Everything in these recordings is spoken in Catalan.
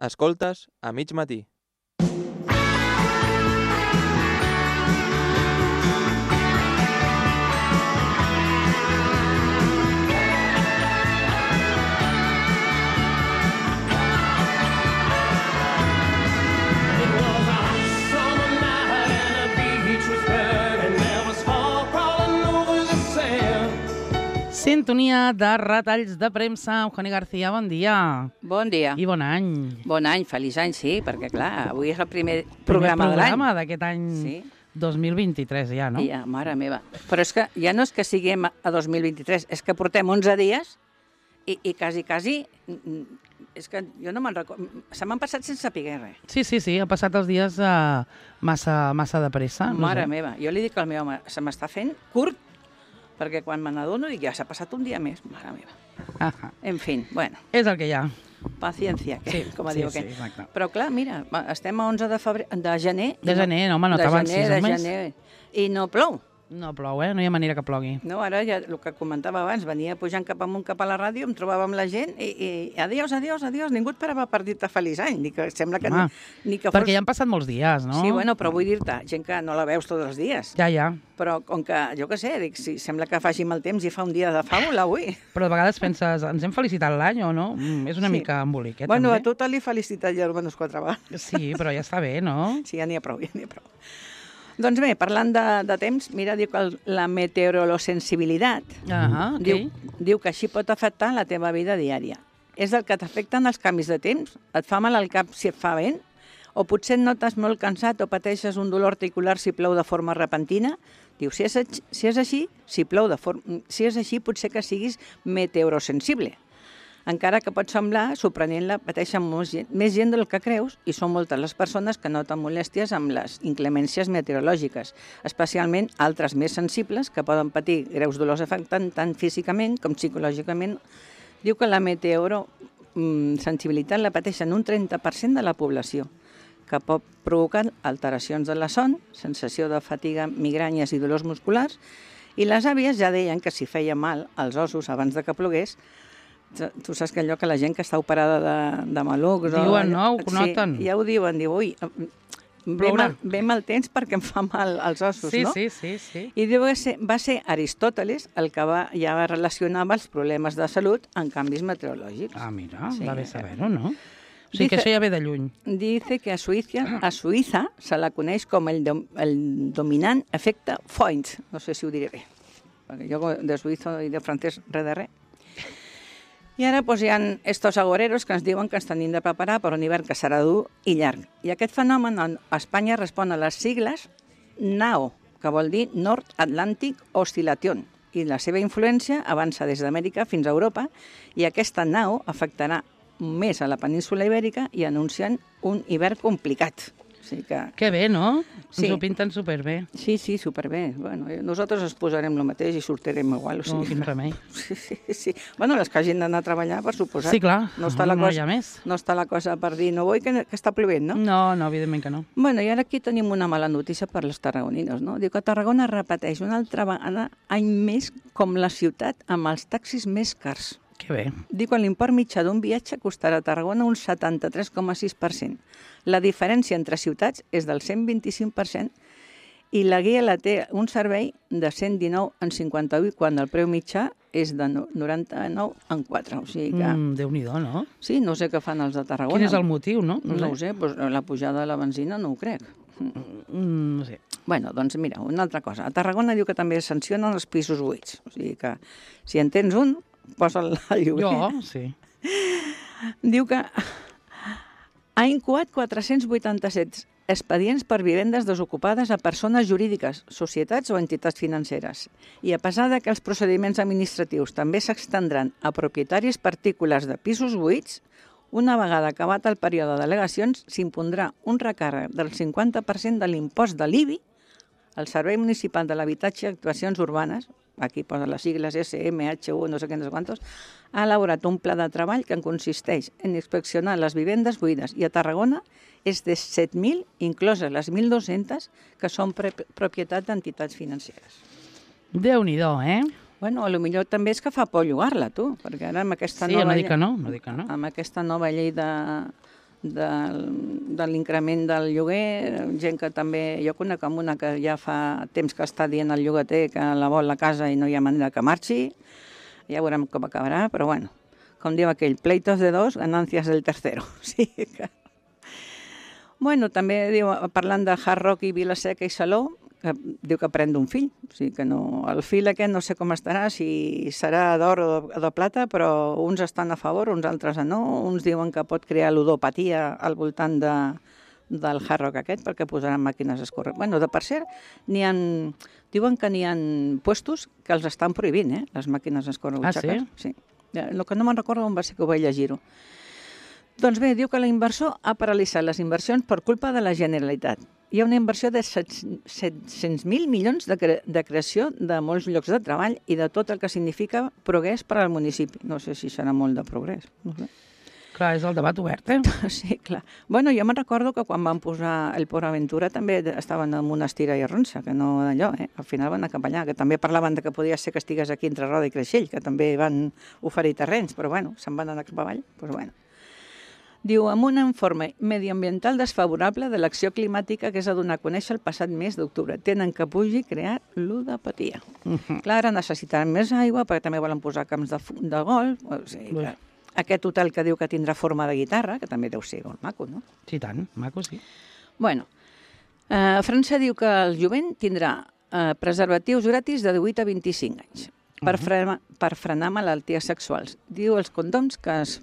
Escoltes a mig matí. Sintonia de retalls de premsa. Eugeni García, bon dia. Bon dia. I bon any. Bon any, feliç any, sí, perquè clar, avui és el primer programa de l'any. Programa d'aquest any 2023 ja, no? Ja, mare meva. Però és que ja no és que siguem a 2023, és que portem 11 dies i quasi, és que jo no me'n recordo, se m'han passat sense saber res. Sí, ha passat els dies massa de pressa. Mare meva, jo li dic al meu home, se m'està fent curt, perquè quan me n'adono dic, ja s'ha passat un dia més, mare meva. En fi, bueno. És el que hi ha. Paciencia, com diu aquell. Exacte. Però clar, mira, estem a 11 de gener. De gener, no, home, no t'avan 6 mesos. I no plou. No plou, no hi ha manera que plogui. No, ara ja el que comentava abans, venia pujant cap amunt cap a la ràdio, em trobava amb la gent i adiós, ningú et parava per dir-te feliç any, ni que sembla que ni que fos... Perquè ja han passat molts dies, no? Sí, bueno, però vull dir-te, gent que no la veus tots els dies. Ja. Però com que, jo què sé, dic, si sembla que faci mal temps i fa un dia de fàbula avui. Però de vegades penses, ens hem felicitat l'any o no? És una mica embolic, bueno, també. A tu te l'he felicitat ja almenys 4 vegades. Sí, però ja està bé, no? Sí, ja n'hi ha prou. Doncs bé, parlant de temps, mira, diu que la meteorolosensibilitat diu que així pot afectar la teva vida diària. És el que t'afecten els canvis de temps? Et fa mal al cap si et fa vent? O potser et notes molt cansat o pateixes un dolor articular si plou de forma repentina? Diu, si és així, si és així, potser que siguis meteorosensible. Encara que pot semblar sorprenent, la pateixen més gent del que creus i són moltes les persones que noten molèsties amb les inclemències meteorològiques, especialment altres més sensibles que poden patir greus dolors afectant tant físicament com psicològicament. Diu que la meteorosensibilitat la pateixen un 30% de la població, que pot provocar alteracions de la son, sensació de fatiga, migranyes i dolors musculars, i les àvies ja deien que si feia mal als ossos abans de que plogués, tu saps que allò que la gent que està operada de malucs... Diuen, no? Ho noten. Sí, ja ho diuen. Diu, ui, ve mal temps perquè em fa mal als ossos, no? Sí. I diu que va ser Aristòteles el que ja relacionava els problemes de salut amb canvis meteorològics. Ah, mira, va bé saber-ho, no? O sigui que això ja ve de lluny. Dice que a Suïssa se la coneix com el dominant efecte Foix. No sé si ho diré bé, perquè jo de suïsso i de francès res de res. I ara hi ha estos agoreros que ens diuen que ens tenim de preparar per un hivern que serà dur i llarg. I aquest fenomen a Espanya respon a les sigles NAO, que vol dir North Atlantic Oscillation, i la seva influència avança des d'Amèrica fins a Europa, i aquesta NAO afectarà més a la península ibèrica i anuncien un hivern complicat. Que bé, no? Ens ho pinten superbé. Sí, superbé. Bueno, nosaltres ens posarem el mateix i sortirem igual. No, quin remei. Sí. Bueno, les que hagin d'anar a treballar, per suposat. Sí, clar. No hi ha més. No està la cosa per dir, no vull que està plovent, no? No, evidentment que no. Bueno, i ara aquí tenim una mala notícia per les tarragonines, no? Diu que Tarragona repeteix una altra vegada any més com la ciutat amb els taxis més cars. Que bé. Diu que l'import mitjà d'un viatge costarà a Tarragona un 73,6%. La diferència entre ciutats és del 125% i la guia la té un servei de 119 en 58 quan el preu mitjà és de 99 en 4. O sigui que... Déu-n'hi-do, no? Sí, no sé què fan els de Tarragona. Quin és el motiu, no? No ho sé, doncs la pujada de la benzina no ho crec. No sé. Bueno, doncs mira, una altra cosa. A Tarragona diu que també sancionen els pisos buits. O sigui que si en tens un, posa'l al lloguer. Jo, sí. Diu que ha incoat 487 expedients per vivendes desocupades a persones jurídiques, societats o entitats financeres. I a pesar de que els procediments administratius també s'extendran a propietaris particulars de pisos buits, una vegada acabat el període d'al·legacions, s'impondrà un recàrrec del 50% de l'impost de l'IBI al Servei Municipal de l'Habitatge i Actuacions Urbanes, aquí posa les sigles SMHU, no sé què, no sé quantos, ha elaborat un pla de treball que consisteix en inspeccionar les vivendes buides i a Tarragona és de 7.000, incloses les 1.200 que són propietat d'entitats financeres. Déu-n'hi-do, Bueno, potser també és que fa por llogar-la, tu, perquè ara amb aquesta nova... Sí, no dic que no. Amb aquesta nova llei de l'increment del lloguer, gent que també... Jo conec amb una que ja fa temps que està dient al llogater que la vol a casa i no hi ha manera que marxi, ja veurem com acabarà, però bueno, com diu aquell, pleitos de dos, ganancias del tercero. Sí que... Bueno, també diu, parlant de Hard Rock i Vila-seca i Salou, que diu que pren d'un fill, o sigui que no, el fill aquest no sé com estarà, si serà d'or o de plata, però uns estan a favor, uns altres no, uns diuen que pot crear ludopatia al voltant del Hard Rock aquest, perquè posaran màquines escorrents. Bueno, per cert, diuen que n'hi ha puestos que els estan prohibint, les màquines escorrents. Ah, sí? Sí. El que no me'n recordo on va ser que ho vaig llegir-ho. Doncs bé, diu que l'inversor ha paralitzat les inversions per culpa de la Generalitat. Hi ha una inversió de 700.000 milions de creació de molts llocs de treball i de tot el que significa progrés per al municipi. No sé si serà molt de progrés. No sé. Clar, és el debat obert, Sí, clar. Bueno, jo me'n recordo que quan van posar el Port Aventura també estaven en una estira i arronsa, que no d'allò, Al final van acabar allà, que també parlaven de que podia ser que estigués aquí entre Roda i Creixell, que també van oferir terrenys, però bueno, se'n van anar cap avall, doncs bueno. Diu, amb un informe mediambiental desfavorable de l'acció climàtica que es va donar a conèixer el passat mes d'octubre. Tenen que pugui crear ludopatia. Clar, ara necessitaran més aigua, perquè també volen posar camps de golf. O sigui, aquest hotel que diu que tindrà forma de guitarra, que també deu ser molt maco, no? Sí, tant, maco, sí. Bueno, França diu que el jovent tindrà preservatius gratis de 18 a 25 anys. Per frenar malalties sexuals. Diu els condoms que es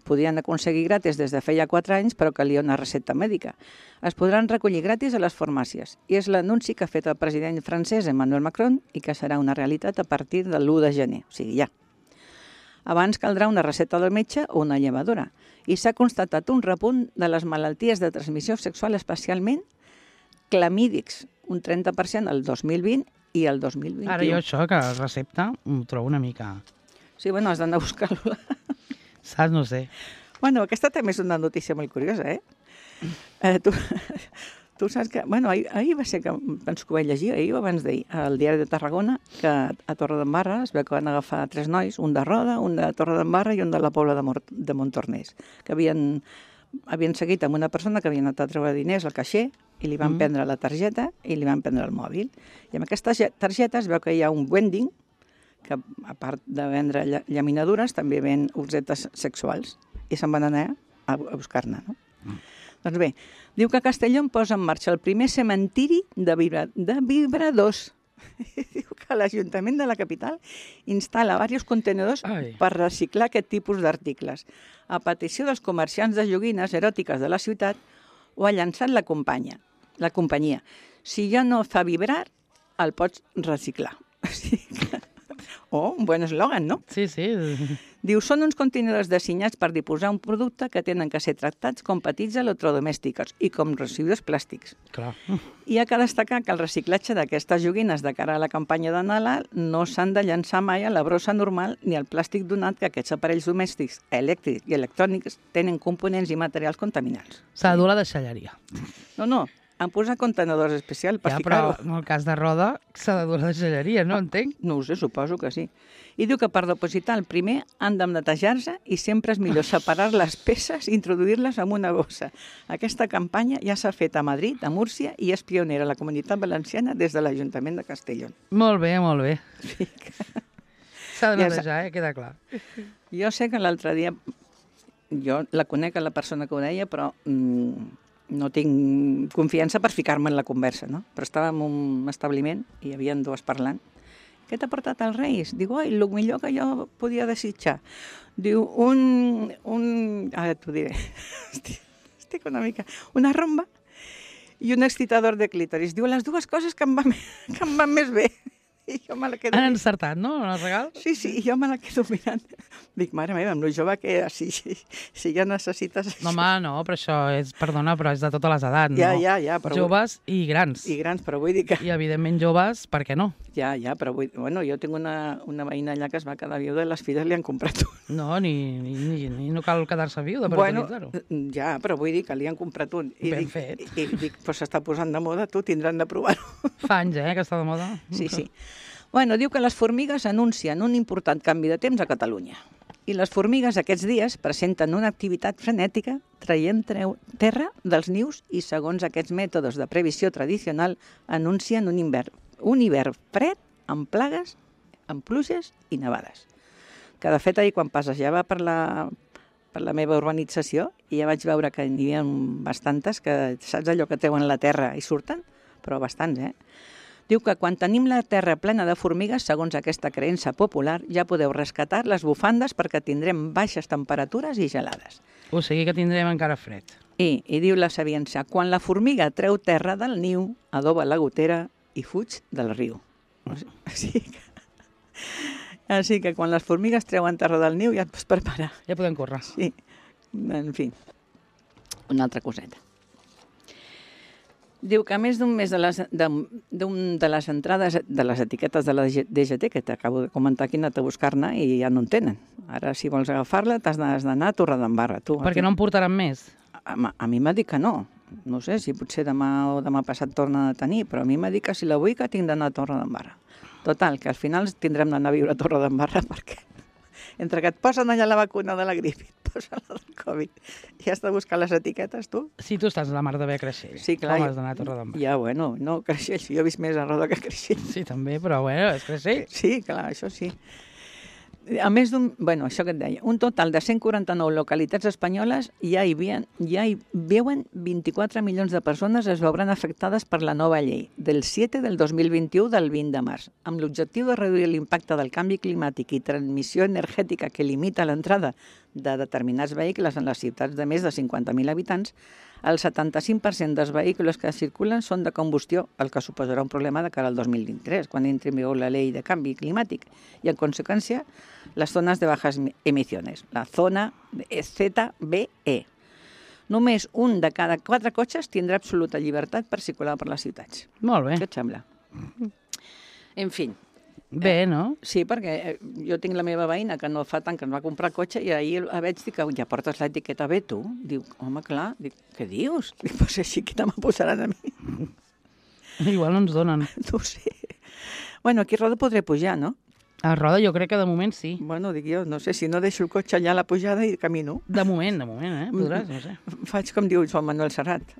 podien aconseguir gratis des de feia 4 anys, però calia una recepta mèdica. Es podran recollir gratis a les farmàcies. I és l'anunci que ha fet el president francès Emmanuel Macron i que serà una realitat a partir de l'1 de gener, o sigui, ja. Abans caldrà una recepta del metge o una llevadora. I s'ha constatat un repunt de les malalties de transmissió sexual, especialment clamídics, un 30% el 2020 i el 2021. Ara jo això, que recepta, ho trobo una mica... Sí, bueno, has d'anar a buscar-la. Saps? No sé. Bueno, aquesta també és una notícia molt curiosa, Tu saps que... Bueno, ahir va ser que... Penso que ho vaig llegir, ahir o abans d'ahir, al diari de Tarragona, que a Torredembarra es veu que van agafar 3 nois, un de Roda, un de Torredembarra i un de la Pobla de Montornès, que havien seguit amb una persona que havia anat a treure diners al caixer i li van prendre la targeta i li van prendre el mòbil. I amb aquesta targeta es veu que hi ha un vending que, a part de vendre llaminadures, també ven objetes sexuals. I se'n van anar a buscar-ne, no? Doncs bé, diu que Castelló posa en marxa el primer cementiri de vibradors. Diu que l'Ajuntament de la capital instal·la diversos contenidors per reciclar aquest tipus d'articles. A petició dels comerciants de joguines eròtiques de la ciutat, ho ha llançat la companyia. Si ja no fa vibrar, el pots reciclar. Un bon eslògan, no? Sí, sí. Diu, són uns contenidors dissenyats per diposar un producte que tenen que ser tractats com petits electrodomèstics i com residus plàstics. Clar. I ha que destacar que el reciclatge d'aquestes joguines de cara a la campanya de Nadal no s'han de llançar mai a la brossa normal ni al plàstic donat que aquests aparells domèstics, elèctrics i electrònics tenen components i materials contaminants. S'ha de dur la deixalleria. No, han posat contenedors especials per ficar-ho. Però en el cas de Roda s'ha de dur la deixalleria, no entenc? No ho sé, suposo que sí. I diu que per depositar el primer han de netejar-se i sempre és millor separar les peces i introduir-les en una bossa. Aquesta campanya ja s'ha fet a Madrid, a Múrcia, i és pionera a la Comunitat Valenciana des de l'Ajuntament de Castelló. Molt bé, molt bé. Sí. S'ha de netejar, queda clar. Jo sé que l'altre dia, jo la conec a la persona que ho deia, però no tinc confiança per ficar-me en la conversa, no? Però estava en un establiment i hi havia 2 parlant. Què t'ha portat els Reis? Diu, el millor que jo podia desitjar. Diu, ara t'ho diré. Estic una mica... Una romba i un excitador de clítoris. Diu, les 2 coses que em van més bé. I jo me la quedo... Han encertat, no?, en el regal? Sí, i jo me la quedo mirant. Dic, mare meva, amb lo jove que si ja necessites... No, home, no, però això és, perdona, però és de totes les edats, no? Ja, però... Joves i grans. I grans, però vull dir que... I, evidentment, joves, per què no? Ja, però vull... Bueno, jo tinc una veïna allà que es va quedar viuda i les filles li han comprat un. No, ni no cal quedar-se viuda per utilitzar-ho. Ja, però vull dir que li han comprat un. Ben fet. I dic, però s'està posant de moda, tu tindran de provar-ho. Fa anys, que està de moda. Sí. Bueno, diu que les formigues anuncien un important canvi de temps a Catalunya. I les formigues aquests dies presenten una activitat frenètica traient terra dels nius i, segons aquests mètodes de previsió tradicional, anuncien un hivern fred amb plagues, amb pluges i nevades. Que, de fet, ahir quan passejava per la meva urbanització i ja vaig veure que n'hi havia bastantes, que saps allò que treuen la terra i surten? Però bastants, Diu que quan tenim la terra plena de formigues, segons aquesta creença popular, ja podeu rescatar les bufandes perquè tindrem baixes temperatures i gelades. O sigui que tindrem encara fred. I diu la sabiència, quan la formiga treu terra del niu, adoba la gotera i fuig del riu. Així que quan les formigues treuen terra del niu ja et pots preparar. Ja podem córrer. Sí, en fi, una altra coseta. Diu que a més d'un mes de les entrades de les etiquetes de la DGT, que t'acabo de comentar que he anat a buscar-ne i ja no en tenen. Ara, si vols agafar-la, t'has d'anar a Torredembarra. Perquè no en portaran més? A mi m'ha dit que no. No sé si potser demà o demà passat torna a tenir, però a mi m'ha dit que si la vull que tinc d'anar a Torredembarra. Total, que al final tindrem d'anar a viure a Torredembarra perquè entre que et posen allà la vacuna de la grip i et posen la del Covid i has de buscar les etiquetes, tu. Sí, tu estàs a la mar de bé a Creixell. Sí, clar. Com has d'anar a Torredembarra? Ja, bueno, no, Creixell. Jo he vist més a Roda que Creixell. Sí, també, però bueno, és Creixell. Sí, clar, això sí. A més bueno, això que et deia, un total de 149 localitats espanyoles ja hi veuen 24 milions de persones es veuran afectades per la nova llei del 7 del 2021 del 20 de març, amb l'objectiu de reduir l'impacte del canvi climàtic i transmissió energètica que limita l'entrada de determinats vehicles en les ciutats de més de 50.000 habitants. El 75% dels vehicles que circulen són de combustió, el que suposarà un problema de cara al 2023, quan entri en vigor la llei de canvi climàtic. I, en conseqüència, les zones de bajas emisiones, la zona ZBE. Només un de cada 4 cotxes tindrà absoluta llibertat per circular per les ciutats. Molt bé. Què et sembla? En fi. Bé, no? Sí, perquè jo tinc la meva veïna que no fa tant que ens va comprar el cotxe i ahir la veig dir que ja portes l'etiqueta B, tu? Diu, home, clar. Dic, què dius? Dic, pues així que me posaran a mi. Igual no ens donen. No ho sé. Bueno, aquí a Roda podré pujar, no? A Roda jo crec que de moment sí. Bueno, dic jo, no sé, si no deixo el cotxe allà a la pujada i camino. De moment, podràs, no sé. Faig com diu Joan Manuel Serrat.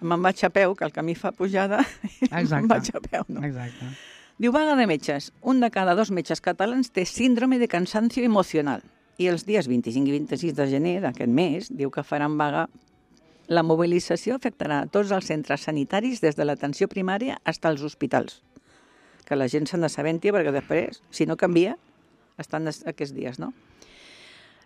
Me'n vaig a peu, que el camí fa pujada, i me'n vaig a peu, no? Exacte. Diu, vaga de metges. Un de cada 2 metges catalans té síndrome de cansancio emocional. I els dies 25 i 26 de gener d'aquest mes, diu que faran vaga. La mobilització afectarà a tots els centres sanitaris des de l'atenció primària fins als hospitals. Que la gent se'n assabenti perquè després, si no canvia, estan aquests dies, no?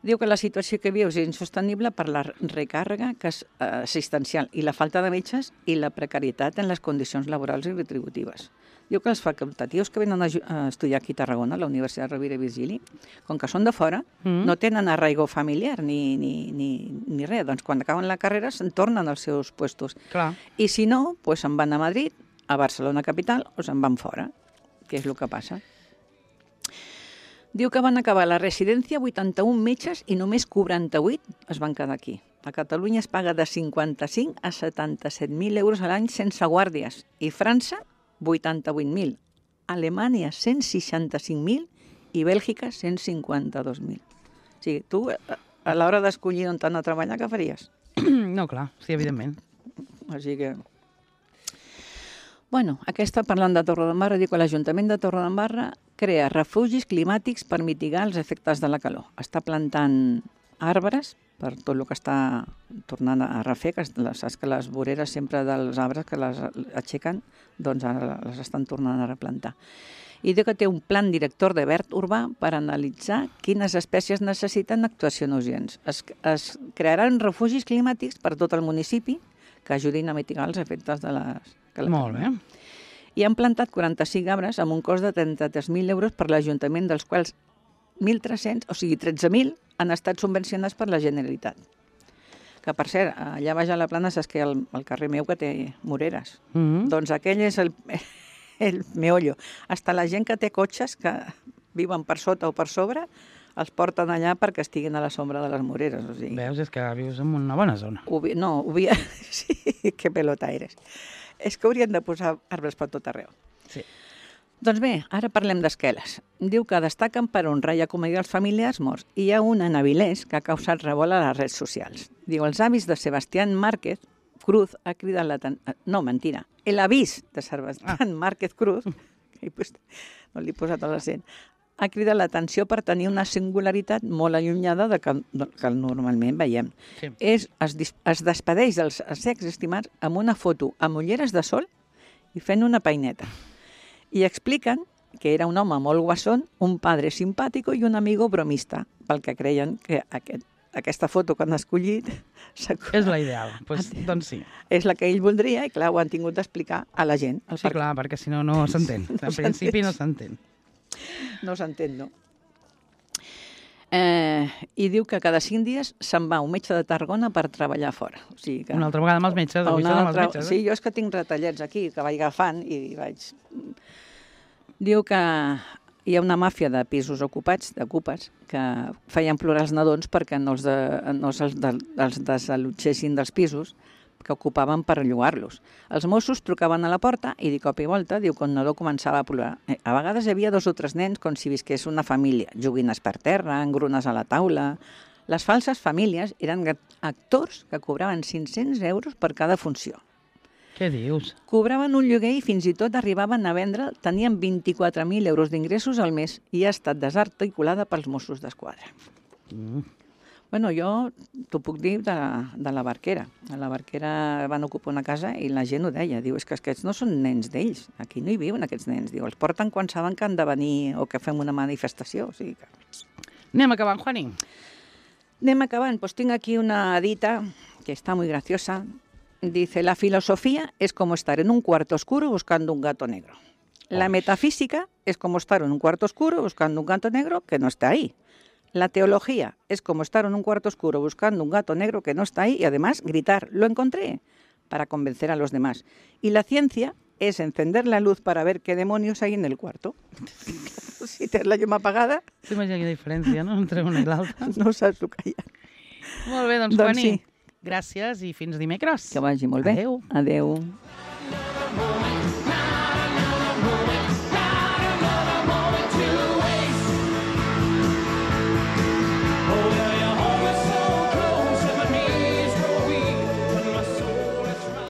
Diu que la situació que viu és insostenible per la recàrrega assistencial i la falta de metges i la precarietat en les condicions laborals i retributives. Diu que els facultatius que venen a estudiar aquí a Tarragona, a la Universitat Rovira i Virgili, com que són de fora, no tenen arraigo familiar ni res. Doncs quan acaben la carrera se'n tornen als seus puestos. Clar. I si no, doncs se'n van a Madrid, a Barcelona capital, o se'n van fora, que és el que passa. Diu que van acabar la residència 81 metges i només 48 es van quedar aquí. A Catalunya es paga de 55 a 77.000 euros a l'any sense guàrdies. I França, 88.000. Alemanya, 165.000 i Bèlgica, 152.000. O sigui, tu, a l'hora d'escollir on t'han a treballar, què faries? No, clar, sí, evidentment. Així que... Bueno, aquesta, parlant de Torredembarra, diu que l'Ajuntament de Torredembarra crea refugis climàtics per mitigar els efectes de la calor. Està plantant arbres per tot el que està tornant a refer, que saps que les voreres sempre dels arbres que les aixequen, doncs ara les estan tornant a replantar. I diu que té un plan director de verd urbà per analitzar quines espècies necessiten actuacions urgents. Es crearan refugis climàtics per tot el municipi que ajudin a mitigar els efectes de les... Molt bé. I han plantat 45 arbres amb un cost de 33.000 euros per l'Ajuntament, dels quals 1.300, o sigui 13.000, han estat subvencionats per la Generalitat. Que, per cert, allà baix a la Plana saps que el carrer meu que té moreres. Doncs aquell és el meollo. Hasta la gent que té cotxes que viuen per sota o per sobre els porten allà perquè estiguin a la sombra de les moreres. O sigui. Veus, és que vius en una bona zona. Sí, que pelota eres. És que haurien de posar arbres per tot arreu. Sí. Doncs bé, ara parlem d'esqueles. Diu que destaquen per honrar i acomiadar els familiars morts. I hi ha una en Avilés que ha causat revolt a les redes socials. Diu, els avis de Sebastián Márquez Cruz ha cridat l'atenció... No, mentira. L'avís de Sebastián Márquez Cruz, no li he posat l'accent, ha cridat l'atenció per tenir una singularitat molt allunyada de que normalment veiem. Sí. Es despedeix dels secs estimats amb una foto amb ulleres de sol i fent una peineta. I expliquen que era un home molt guasón, un padre simpàtico i un amigo bromista, pel que creien que aquesta foto que han escollit... És la ideal, doncs sí. És la que ell voldria i, clar, ho han tingut d'explicar a la gent. Sí, clar, perquè si no, no s'entén. En principi no s'entén. No s'entén, no. I diu que cada 5 dies se'n va un metge de Tarragona per treballar fora. O sigui que... Una altra vegada amb els metges. Sí, jo és que tinc retallets aquí, que vaig agafant i vaig... Diu que hi ha una màfia de pisos ocupats, d'ocupes, que feien plorar els nadons perquè no els desallotgessin dels pisos que ocupaven per llogar-los. Els Mossos trucaven a la porta i de cop i volta, diu que un nadó començava a plorar. A vegades hi havia 2 o 3 nens com si visqués una família, joguines per terra, engrunes a la taula... Les falses famílies eren actors que cobraven 500 euros per cada funció. Què dius? Cobraven un lloguer i fins i tot arribaven a vendre, tenien 24.000 euros d'ingressos al mes i ha estat desarticulada pels Mossos d'Esquadra. Bueno, jo t'ho puc dir de la Barquera. A la Barquera van ocupar una casa i la gent ho deia. Diu, és que aquests no són nens d'ells. Aquí no hi viuen aquests nens. Diu, els porten quan saben que han de venir o que fem una manifestació. O sigui que... Anem acabant, Juani. Anem acabant. Pues tinc aquí una dita que está muy graciosa. Dice, la filosofía es como estar en un cuarto oscuro buscando un gato negro. La metafísica es como estar en un cuarto oscuro buscando un gato negro que no está ahí. La teología es como estar en un cuarto oscuro buscando un gato negro que no está ahí y además gritar, lo encontré, para convencer a los demás. Y la ciencia es encender la luz para ver qué demonios hay en el cuarto. Si tens la llum apagada... T'imagina quina diferència, no?, entre una i l'altra. No saps el que hi ha. Molt bé, doncs Juani, sí. Gràcies i fins dimecres. Que vagi molt bé. Adéu. Adéu.